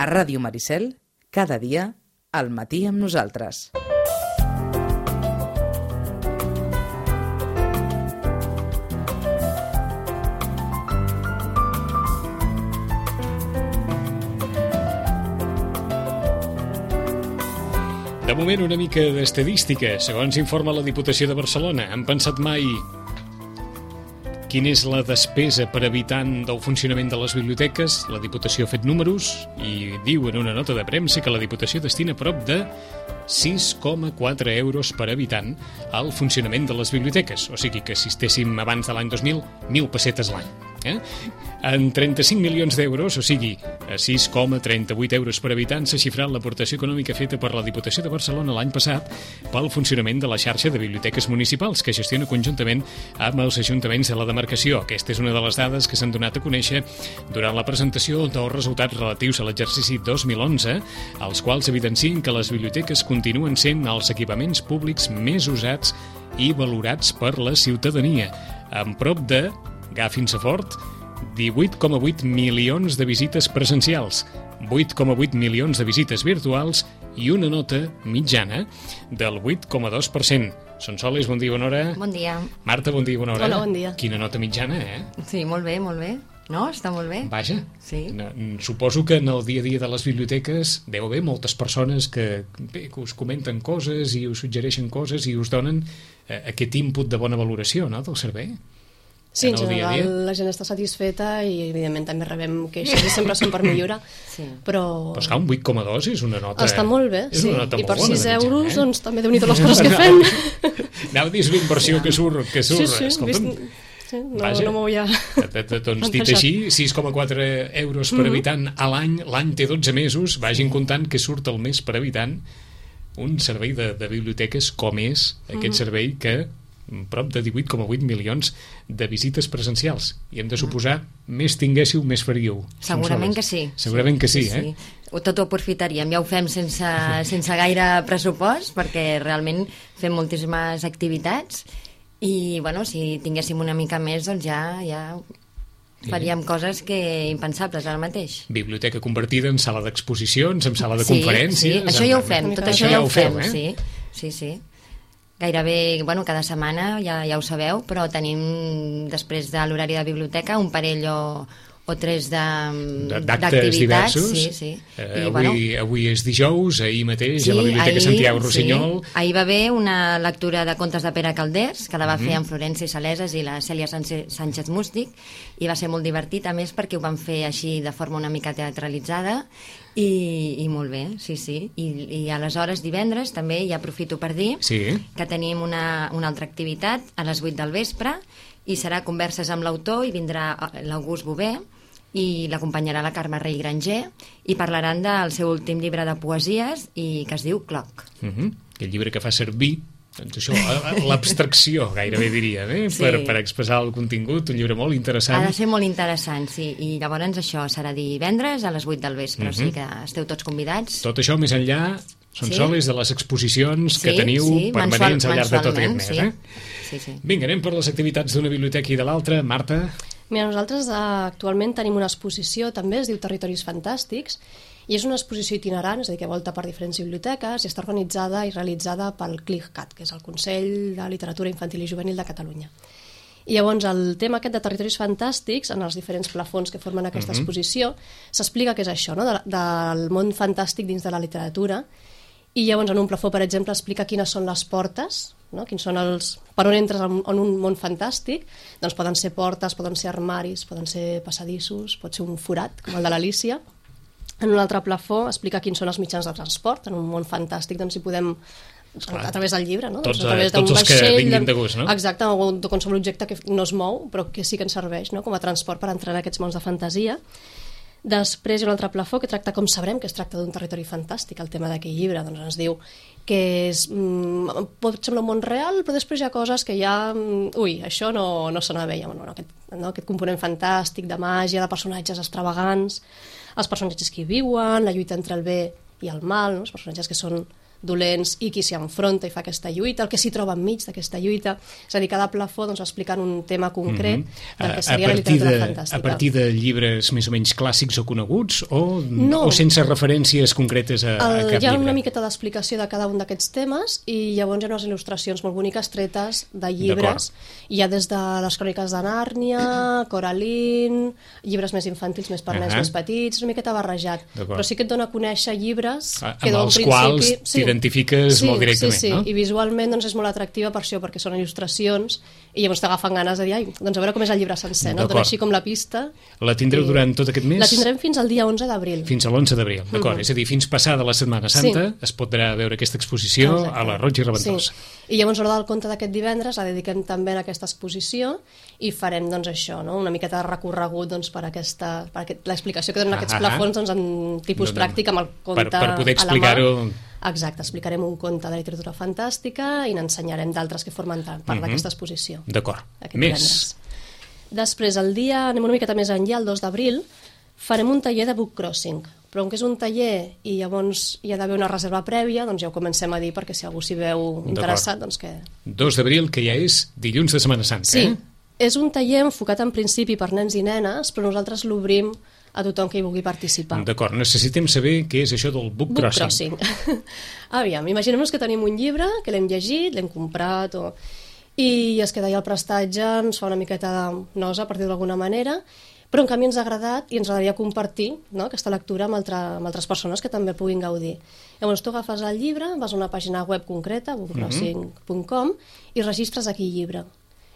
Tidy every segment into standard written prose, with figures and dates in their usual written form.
Ràdio Maricel, cada dia, al matí amb nosaltres. De moment, una mica d'estadística. Segons informa la Diputació de Barcelona, han pensat mai quina és la despesa per habitant del funcionament de les biblioteques? La Diputació ha fet números i diu en una nota de premsa que la Diputació destina prop de 6,4 euros per habitant al funcionament de les biblioteques. O sigui que si estéssim abans de l'any 2000, 1.000 pessetes l'any. En 35 milions d'euros, o sigui, a 6,38 euros per habitant, s'ha xifrat l'aportació econòmica feta per la Diputació de Barcelona l'any passat pel funcionament de la xarxa de biblioteques municipals que gestiona conjuntament amb els ajuntaments de la demarcació. Aquesta és una de les dades que s'han donat a conèixer durant la presentació dels resultats relatius a l'exercici 2011, els quals evidencien que les biblioteques continuen sent els equipaments públics més usats i valorats per la ciutadania, amb prop de, agafin-se fort, 18,8 milions de visites presencials, 8,8 milions de visites virtuals i una nota mitjana del 8,2%. Sonsoles, bon dia, bona hora. Bon dia. Marta, bon dia, bona hora. Hola, bon dia. Quina nota mitjana, Sí, molt bé, molt bé. No? Està molt bé. Vaja. Sí. Suposo que en el dia a dia de les biblioteques deu haver moltes persones que us comenten coses i us suggereixen coses i us donen aquest input de bona valoració, no?, del servei. Sí, en general la gent està satisfeta i evidentment també rebem queixes i sempre són per millorar, sí. Però és que un 8,2 és una nota... Està molt bé, sí, i per 6 euros doncs també déu-n'hi-do les coses que fem. Anava a dir, és una inversió que surt. Sí, escolta'm, sí, no m'ho havia... Doncs dit així, 6,4 euros per habitant a l'any té 12 mesos, vagin comptant que surt el mes per habitant un servei de biblioteques com és aquest servei que prop de 18,8 milions de visites presencials. I hem de suposar, més tinguéssiu, més faríeu. Segurament que sí. Segurament que sí, Tot ho aprofitaríem. Ja ho fem sense gaire pressupost, perquè realment fem moltíssimes activitats i, bueno, si tinguéssim una mica més, doncs ja faríem coses que impensables ara mateix. Biblioteca convertida en sala d'exposicions, en sala de conferències... Sí, això ja ho fem, tot això ja ho fem, sí. Gairebé, cada setmana, ja ho sabeu, però tenim, després de l'horari de biblioteca, un parell o tres d'actes diversos. Sí. Avui és dijous, ahir mateix, a la Biblioteca Santiago Rossinyol. Sí. Ahir va haver una lectura de contes de Pere Calders, que la va fer en Florència Saleses i la Cèlia Sánchez Mústic, i va ser molt divertit, a més, perquè ho van fer així de forma una mica teatralitzada, i molt bé, sí. I aleshores divendres també, ja aprofito per dir, que tenim una altra activitat a les 8 del vespre, i serà converses amb l'autor, i vindrà l'August Bové, i l'acompanyarà la Carme Rey Granger, i parlaran del seu últim llibre de poesies, i que es diu Cloc. El llibre que fa servir, doncs això, l'abstracció, gairebé diria, per expressar el contingut, un llibre molt interessant. Ha de ser molt interessant, sí, i llavors això serà divendres a les 8 del vespre, o sigui que esteu tots convidats. Tot això més enllà, Sonsoles, de les exposicions que teniu permanents al llarg de tot aquest mes. Sí. Vinga, anem per les activitats d'una biblioteca i de l'altra. Marta? Mira, nosaltres actualment tenim una exposició, també es diu Territoris Fantàstics, i és una exposició itinerant, és a dir, que volta per diferents biblioteques i està organitzada i realitzada pel CLICCAT, que és el Consell de Literatura Infantil i Juvenil de Catalunya. I llavors el tema aquest de Territoris Fantàstics, en els diferents plafons que formen aquesta exposició, s'explica què és això, no? Del món fantàstic dins de la literatura, i llavors en un plafó, per exemple, explica quines són les portes, no? Quins són per on entres en un món fantàstic, doncs poden ser portes, poden ser armaris, poden ser passadissos, pot ser un forat, com el de l'Alícia. En un altre plafó explica quins són els mitjans de transport. En un món fantàstic doncs hi podem, a través del llibre, no? Tots els que vinguin de gust, no? Exacte, o de qualsevol objecte que no es mou, però que sí que ens serveix, no?, com a transport per entrar en aquests mons de fantasia. Després hi ha un altre plafó que tracta com sabrem que es tracta d'un territori fantàstic, el tema d'aquell llibre. Doncs ens diu que pot semblar un món real, però després hi ha coses que ja... això no sona bé. Aquest component fantàstic, de màgia, de personatges extravagants, els personatges que hi viuen, la lluita entre el bé i el mal, no? Els personatges que són dolents i qui s'hi enfronta i fa aquesta lluita, el que s'hi troba enmig d'aquesta lluita. És a dir, cada plafó doncs, explicant un tema concret del que seria la literatura fantàstica. A partir de llibres més o menys clàssics o coneguts o sense referències concretes a cap llibre? Hi ha una miqueta d'explicació de cada un d'aquests temes i llavors hi ha unes il·lustracions molt boniques tretes de llibres. Hi ha des de les cròniques de Nàrnia, Coraline, llibres més infantils, més per nens més petits, una miqueta barrejat. Però sí que et dona a conèixer llibres que amb els quals t'identifiques molt directament, no? I visualment doncs, és molt atractiva per això, perquè són il·lustracions i llavors t'agafen ganes de dir, doncs a veure com és el llibre sencer, no? Dona així com la pista. La tindreu durant tot aquest mes? La tindrem fins al dia 11 d'abril. Fins a l'11 d'abril, d'acord. És a dir, fins passada la Setmana Santa es podrà veure aquesta exposició a la Roig i Reventós. I llavors l'hora del conte d'aquest divendres la dediquem també a aquesta exposició i farem doncs això, no? Una miqueta de recorregut doncs, per l'explicació que donen aquests plafons doncs, en tipus pràctic amb el conte per poder explicar-ho. Exacte, explicarem un conte de literatura fantàstica i n'ensenyarem d'altres que formen part d'aquesta exposició. D'acord. Més? Després, anem una miqueta més enllà, el 2 d'abril, farem un taller de book crossing. Però com que és un taller i llavors hi ha d'haver una reserva prèvia, doncs ja ho comencem a dir perquè si algú s'hi veu interessat, doncs que... 2 d'abril, que ja és dilluns de Setmana Santa, Sí, és un taller enfocat en principi per nens i nenes, però nosaltres l'obrim a tothom que hi vulgui participar. D'acord, necessitem saber què és això del book crossing. Aviam, imaginem-nos que tenim un llibre, que l'hem llegit, l'hem comprat, i es queda allà el prestatge, ens fa una miqueta de nosa, per dir-ho d'alguna manera, però en canvi ens ha agradat i ens agradaria compartir, no?, aquesta lectura amb altres persones que també puguin gaudir. Llavors tu agafes el llibre, vas a una pàgina web concreta, bookcrossing.com, i registres aquell llibre.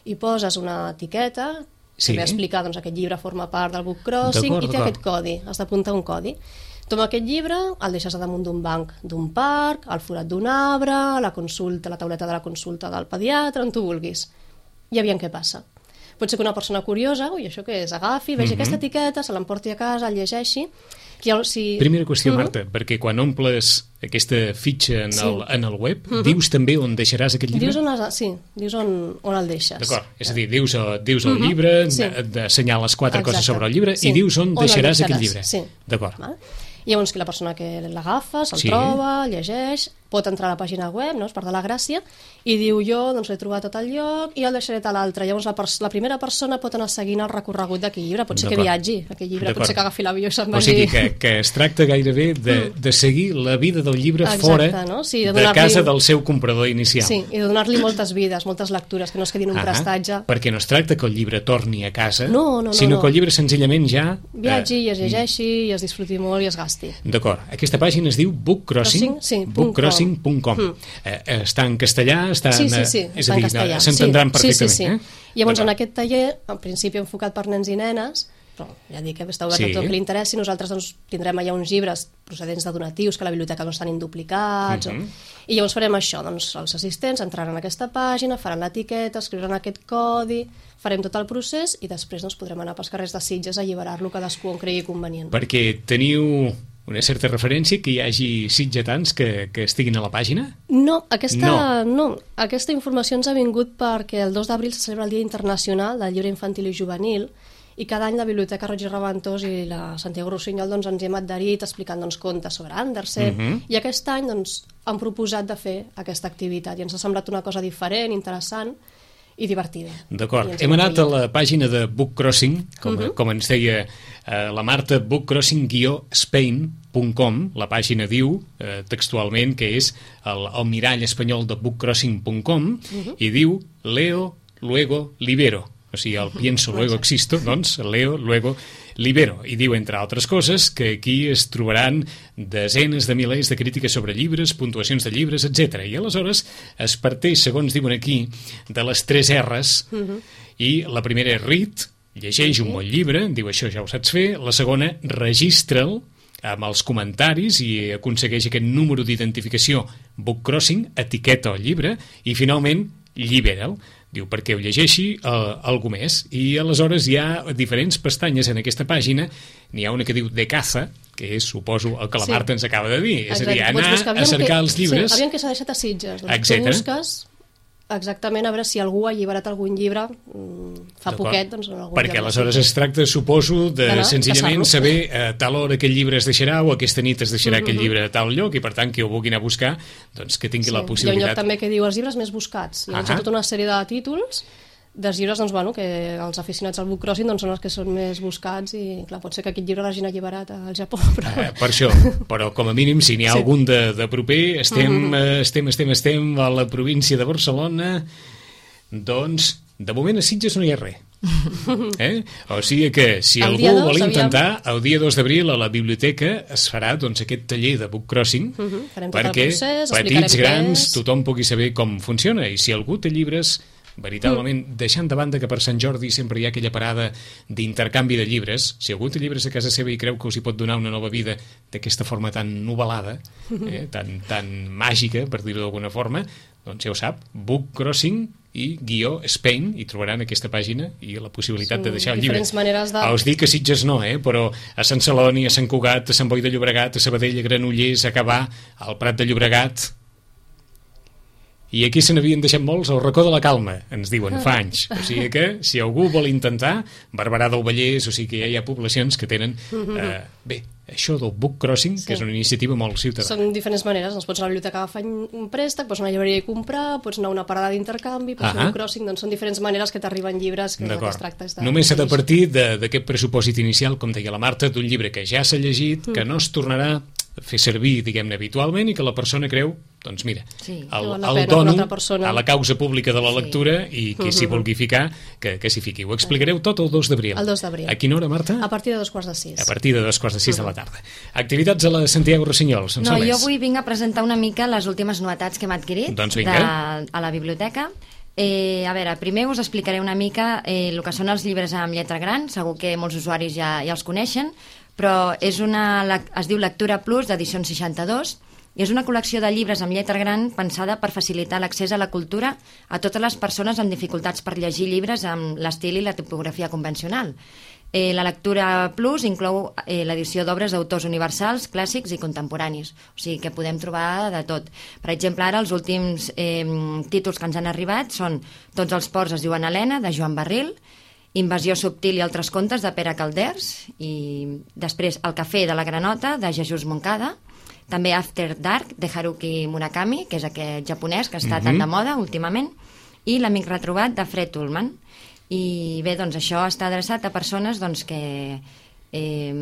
I poses una etiqueta que ve a explicar doncs, aquest llibre forma part del book crossing i té aquest codi, has d'apuntar un codi. Tu amb aquest llibre el deixes a damunt d'un banc d'un parc, al forat d'un arbre, a la tauleta de la consulta del pediatre, on tu vulguis. I aviam què passa. Pot ser que una persona curiosa, això què és, agafi, vegi aquesta etiqueta, se l'emporti a casa, el llegeixi. Primera qüestió, Marta, perquè quan omples aquesta fitxa en el web, dius també on deixaràs aquest llibre? Dius on el deixes. D'acord, és a dir, dius el llibre, assenyales 4 coses sobre el llibre i dius on deixaràs aquest llibre. D'acord. I llavors la persona que l'agafa, se'l troba, llegeix, pot entrar a la pàgina web, no? És part de la gràcia, i diu jo doncs l'he trobat a tot el lloc i el deixaré a l'altre. Llavors la primera persona pot anar seguint el recorregut d'aquell llibre, pot ser que viatgi aquell llibre, pot ser que agafi l'avió i se'n vagi. O sigui que es tracta gairebé de seguir la vida del llibre fora de casa del seu comprador inicial. Sí, i de donar-li moltes vides, moltes lectures, que no es quedin un prestatge. Perquè no es tracta que el llibre torni a casa, sinó que el llibre senzillament ja... viatgi i es llegeixi i es disfruti molt i es gasti. D'acord, aquesta pàgina es diu bookcrossing.com. Està en castellà, és a dir, s'entendran perfectament. Llavors en aquest taller, en principi enfocat per nens i nenes, però ja dic que està obert a tot el que li interessi, nosaltres doncs, tindrem allà uns llibres procedents de donatius que a la biblioteca no estan induplicats, i llavors farem això, doncs els assistents entraran en aquesta pàgina, faran l'etiqueta, escriuran aquest codi, farem tot el procés i després doncs, podrem anar pels carrers de Sitges a alliberar-lo cadascú on cregui convenient. Perquè teniu una certa referència que hi hagi sitgetans que estiguin a la pàgina? No, aquesta informació ens ha vingut perquè el 2 d'abril se celebra el Dia Internacional del Llibre Infantil i Juvenil i cada any la Biblioteca Roig i Reventós i la Santiago Rossinyol doncs, ens hi hem adherit explicant doncs, contes sobre Andersen i aquest any doncs, han proposat de fer aquesta activitat i ens ha semblat una cosa diferent, interessant i divertida. D'acord. Hem anat a la pàgina de Book Crossing, com ens deia la Marta, bookcrossing-spain.com. La pàgina diu textualment que és el mirall espanyol de bookcrossing.com i diu Leo, luego, libero. O sigui, el pienso, luego existo, doncs leo, luego, libero. I diu, entre altres coses, que aquí es trobaran desenes de milers de crítiques sobre llibres, puntuacions de llibres, etc. I aleshores es parteix, segons diuen aquí, de les 3 R's, i la primera és read, llegeix un bon llibre, diu això ja ho saps fer, la segona, registra'l amb els comentaris i aconsegueix aquest número d'identificació book crossing, etiqueta el llibre, i finalment, llibera'l. Diu, perquè ho llegeixi algú més. I aleshores hi ha diferents pestanyes en aquesta pàgina. N'hi ha una que diu de caza, que és, suposo, el que la Marta ens acaba de dir. És a dir, anar a cercar els llibres. Aviam que s'ha deixat a Sitges. Doncs tu busques exactament, a veure si algú ha alliberat algun llibre fa poquet, doncs en algun perquè lloc. aleshores es tracta, suposo, de senzillament saber a tal hora aquell llibre es deixarà o aquesta nit es deixarà aquell llibre a tal lloc, i per tant qui ho vulgui anar a buscar doncs que tingui la possibilitat. Hi ha un lloc també que diu els llibres més buscats, i hi ha tota una sèrie de títols dels llibres, doncs, bueno, que els aficionats al book crossing doncs, són els que són més buscats, i clar, pot ser que aquest llibre l'hagin alliberat al Japó, però... Per això, però com a mínim si n'hi ha algun de proper, estem a la província de Barcelona, doncs de moment a Sitges no hi ha res. O sigui que si algú vol intentar, el dia 2 d'abril a la biblioteca es farà doncs aquest taller de book crossing perquè petits, grans, tothom pugui saber com funciona, i si algú té llibres veritablement, deixant de banda que per Sant Jordi sempre hi ha aquella parada d'intercanvi de llibres, si algú té llibres a casa seva i creu que us hi pot donar una nova vida d'aquesta forma tan novel·lada, tan màgica, per dir-ho d'alguna forma, doncs ja ho sap, Book Crossing i _ i trobaran aquesta pàgina i la possibilitat de deixar el llibre. Us dic que Sitges no, però a Sant Celoni, a Sant Cugat, a Sant Boi de Llobregat, a Sabadell, a Granollers, a Gavà, al Prat de Llobregat... I aquí se n'havien deixat molts al racó de la Calma, ens diuen, fa anys. O sigui que, si algú vol intentar, Barberà del Vallès, o sigui que ja hi ha poblacions que tenen... Bé, això del book crossing, que és una iniciativa molt ciutadana. Són diferents maneres, doncs pots anar a la biblioteca a agafar un préstec, pots anar a la llibreria i comprar, pots anar a una parada d'intercanvi, pots fer book crossing, doncs són diferents maneres que t'arriben llibres que es tracta. Només s'ha de partir d'aquest pressupòsit inicial, com deia la Marta, d'un llibre que ja s'ha llegit, que no es tornarà a fer servir, diguem-ne, habitualment, i que la persona creu, doncs mira, el dono a la causa pública de la lectura, i qui s'hi vulgui ficar, que s'hi fiqui. Ho explicareu tot el 2 d'abril. El 2 d'abril. A quina hora, Marta? A partir de 2:45. A partir de 2:45 de la tarda. Activitats a la Santiago Rossinyols. No, jo avui vinc a presentar una mica les últimes novetats que hem adquirit a la biblioteca. A veure, primer us explicaré una mica el que són els llibres amb lletra gran. Segur que molts usuaris ja els coneixen, però es diu Lectura Plus d'edició 62, i és una col·lecció de llibres amb lletra gran pensada per facilitar l'accés a la cultura a totes les persones amb dificultats per llegir llibres amb l'estil i la tipografia convencional. La Lectura Plus inclou l'edició d'obres d'autors universals, clàssics i contemporanis, o sigui que podem trobar de tot. Per exemple, ara els últims títols que ens han arribat són Tots els ports es diuen Helena, de Joan Barril, Invasió subtil i altres contes, de Pere Calders, i després El cafè de la granota, de Jesús Moncada, també After Dark, de Haruki Murakami, que és aquest japonès que està tan de moda últimament, i L'amic retrobat, de Fred Ullman. I bé, doncs això està adreçat a persones doncs, que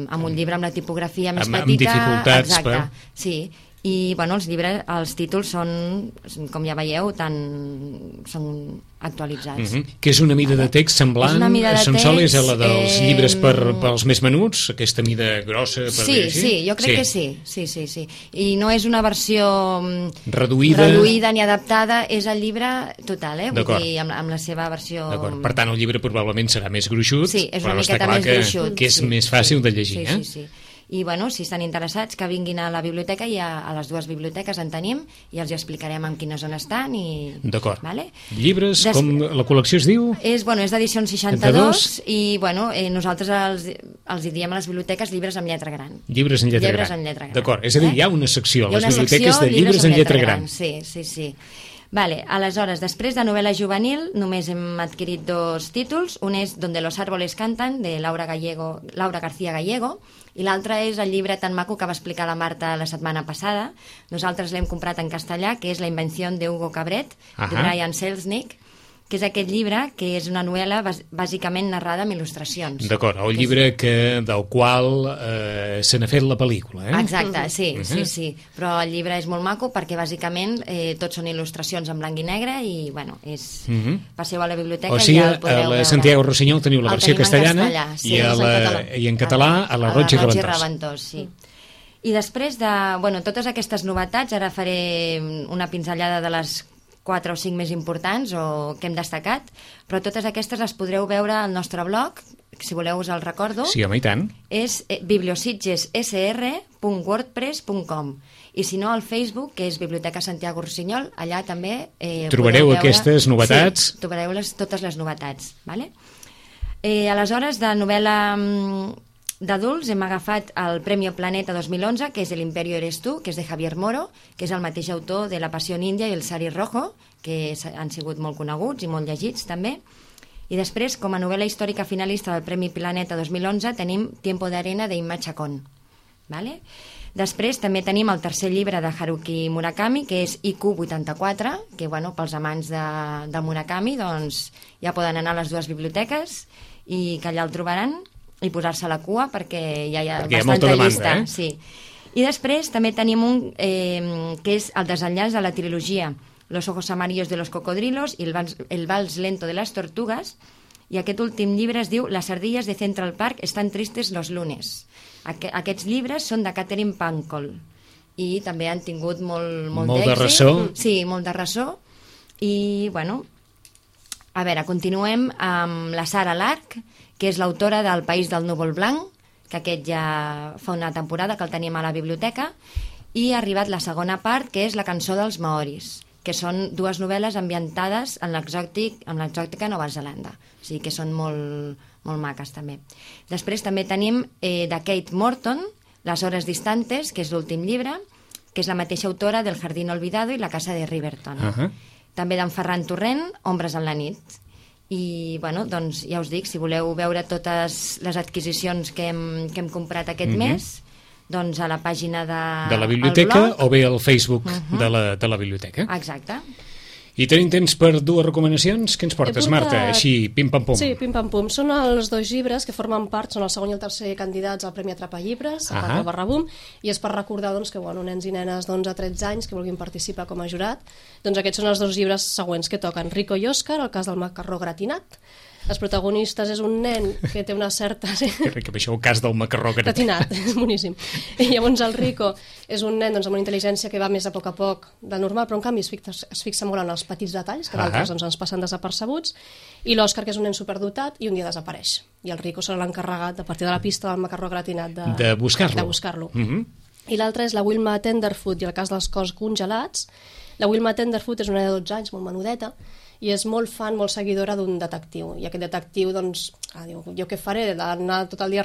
amb un llibre amb la tipografia més petita... Amb dificultats. Exacte, sí. I bueno, els títols són, com ja veieu, són actualitzats. Que és una mida de text semblant, sols a la dels llibres pels més menuts, aquesta mida grossa, per dir així? Sí, jo crec que sí. I no és una versió reduïda ni adaptada, és el llibre total, vull dir, amb la seva versió... Per tant, el llibre probablement serà més gruixut, però està clar que és més fàcil de llegir. Sí. I bueno, si estan interessats, que vinguin a la biblioteca, i a les dues biblioteques en tenim, i els explicarem en quina zona estan. D'acord. Llibres, com la col·lecció es diu? És d'edició 62, i nosaltres els hi diem a les biblioteques llibres amb lletra gran. Llibres en lletra gran. D'acord, és a dir, hi ha una secció a les biblioteques de llibres en lletra gran. Sí. Aleshores, després de novel·la juvenil, només hem adquirit 2 títols. Un és Donde los árboles cantan, de Laura García Gallego, i l'altre és el llibre tan maco que va explicar la Marta la setmana passada. Nosaltres l'hem comprat en castellà, que és La invención de Hugo Cabret, de Brian Selznick, que és aquest llibre, que és una novel·la bàsicament narrada amb il·lustracions. D'acord, el llibre del qual se n'ha fet la pel·lícula, Exacte, sí. Però el llibre és molt maco perquè bàsicament tots són il·lustracions en blanc i negre, i passeu a la biblioteca i ja el podreu veure. A la Santiago Rossinyol teniu la versió castellana i en català a la Roig i Reventós. Sí. I després de totes aquestes novetats, ara faré una pinzellada de les 4 o 5 més importants o que hem destacat, però totes aquestes les podreu veure al nostre blog, si voleu us el recordo. Sí, home, i tant. És bibliositgessr.wordpress.com, i si no al Facebook, que és Biblioteca Santiago Rossinyol, allà també trobareu aquestes novetats. Sí, trobareu totes les novetats, vale? Aleshores, de novel·la d'adults hem agafat el Premi Planeta 2011, que és El Imperio eres tú, que és de Javier Moro, que és el mateix autor de La Pasión India i El Sari Rojo, que han sigut molt coneguts i molt llegits també. I després, com a novel·la històrica finalista del Premi Planeta 2011, tenim Tiempo de arena d'Imma Chacón. Vale? Després també tenim el tercer llibre de Haruki Murakami, que és IQ84, que pels amants de Murakami doncs, ja poden anar a les dues biblioteques i que allà el trobaran i posar-se a la cua perquè ja hi ha bastanta llista. Sí. I després també tenim un que és el desenllaç de la trilogia Los ojos amarillos de los cocodrilos i el vals lento de las tortugas, i aquest últim llibre es diu Las ardillas de Central Park están tristes los lunes. Aquests llibres són de Catherine Pancol i també han tingut molt de ressò. Sí, molt de ressò. I, a veure, continuem amb la Sara Lark, que és l'autora del País del núvol blanc, que aquest ja fa una temporada que el tenim a la biblioteca, i ha arribat la segona part, que és La cançó dels maoris, que són dues novel·les ambientades en l'exòtica Nova Zelanda. O sigui que són molt maques també. Després també tenim de Kate Morton, Les hores distantes, que és l'últim llibre, que és la mateixa autora del Jardín olvidado i La casa de Riverton. També d'en Ferran Torrent, Ombres en la nit. I, doncs ja us dic, si voleu veure totes les adquisicions que hem comprat aquest mes, doncs a la pàgina de la biblioteca o bé al Facebook de la biblioteca. Exacte. I tenim temps per dues recomanacions. Què ens portes, Marta? Així, pim-pam-pum. Sí, pim-pam-pum. Són els dos llibres que formen part, són el segon i el tercer candidats al Premi Atrapa Llibres, a 4/boom, i és per recordar que nens i nenes d'11 a 13 anys que vulguin participar com a jurat, doncs aquests són els dos llibres següents que toquen. Rico i Òscar, el cas del macarró gratinat. Els protagonistes és un nen que té una certa... Que ric, això el cas del macarró gratinat. És boníssim. I llavors el Rico és un nen amb una intel·ligència que va més a poc de normal, però en canvi es fixa molt en els petits detalls, que d'altres ens passen desapercebuts, i l'Òscar, que és un nen superdotat, i un dia desapareix. I el Rico serà l'encarregat, a partir de la pista del macarró gratinat, de buscar-lo. I l'altre és la Wilma Tenderfoot i el cas dels cos congelats. La Wilma Tenderfoot és una nena de 12 anys, molt menudeta, i és molt fan, molt seguidora d'un detectiu. I aquest detectiu, doncs, diu, jo què faré? D'anar tot el dia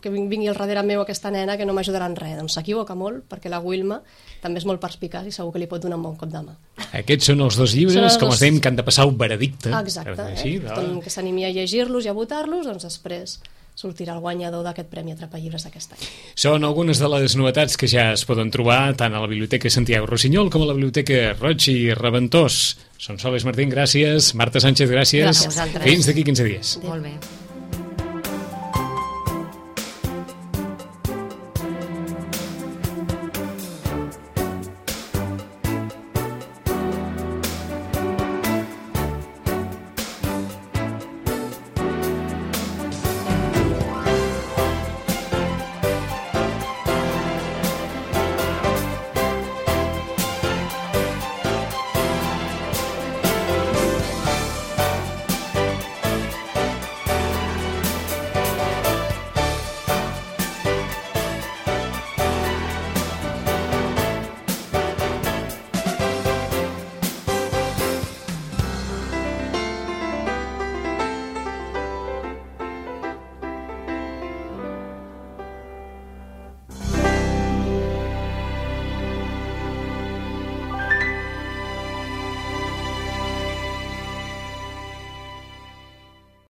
que vingui al darrere meu aquesta nena que no m'ajudarà en res. Doncs s'equivoca molt, perquè la Wilma també és molt perspicaç i segur que li pot donar un bon cop de mà. Aquests són els dos llibres, com es dèiem, que han de passar un veredicte. Exacte. Tothom que s'animi a llegir-los i a votar-los, doncs després sortirà el guanyador d'aquest Premi Atrapa Llibres d'aquest any. Són algunes de les novetats que ja es poden trobar tant a la Biblioteca Santiago Rossinyol com a la Biblioteca Roig i Reventós. Sonsoles Martín, gràcies. Marta Sánchez, gràcies. Gràcies a vosaltres. Fins d'aquí 15 dies. Molt bé.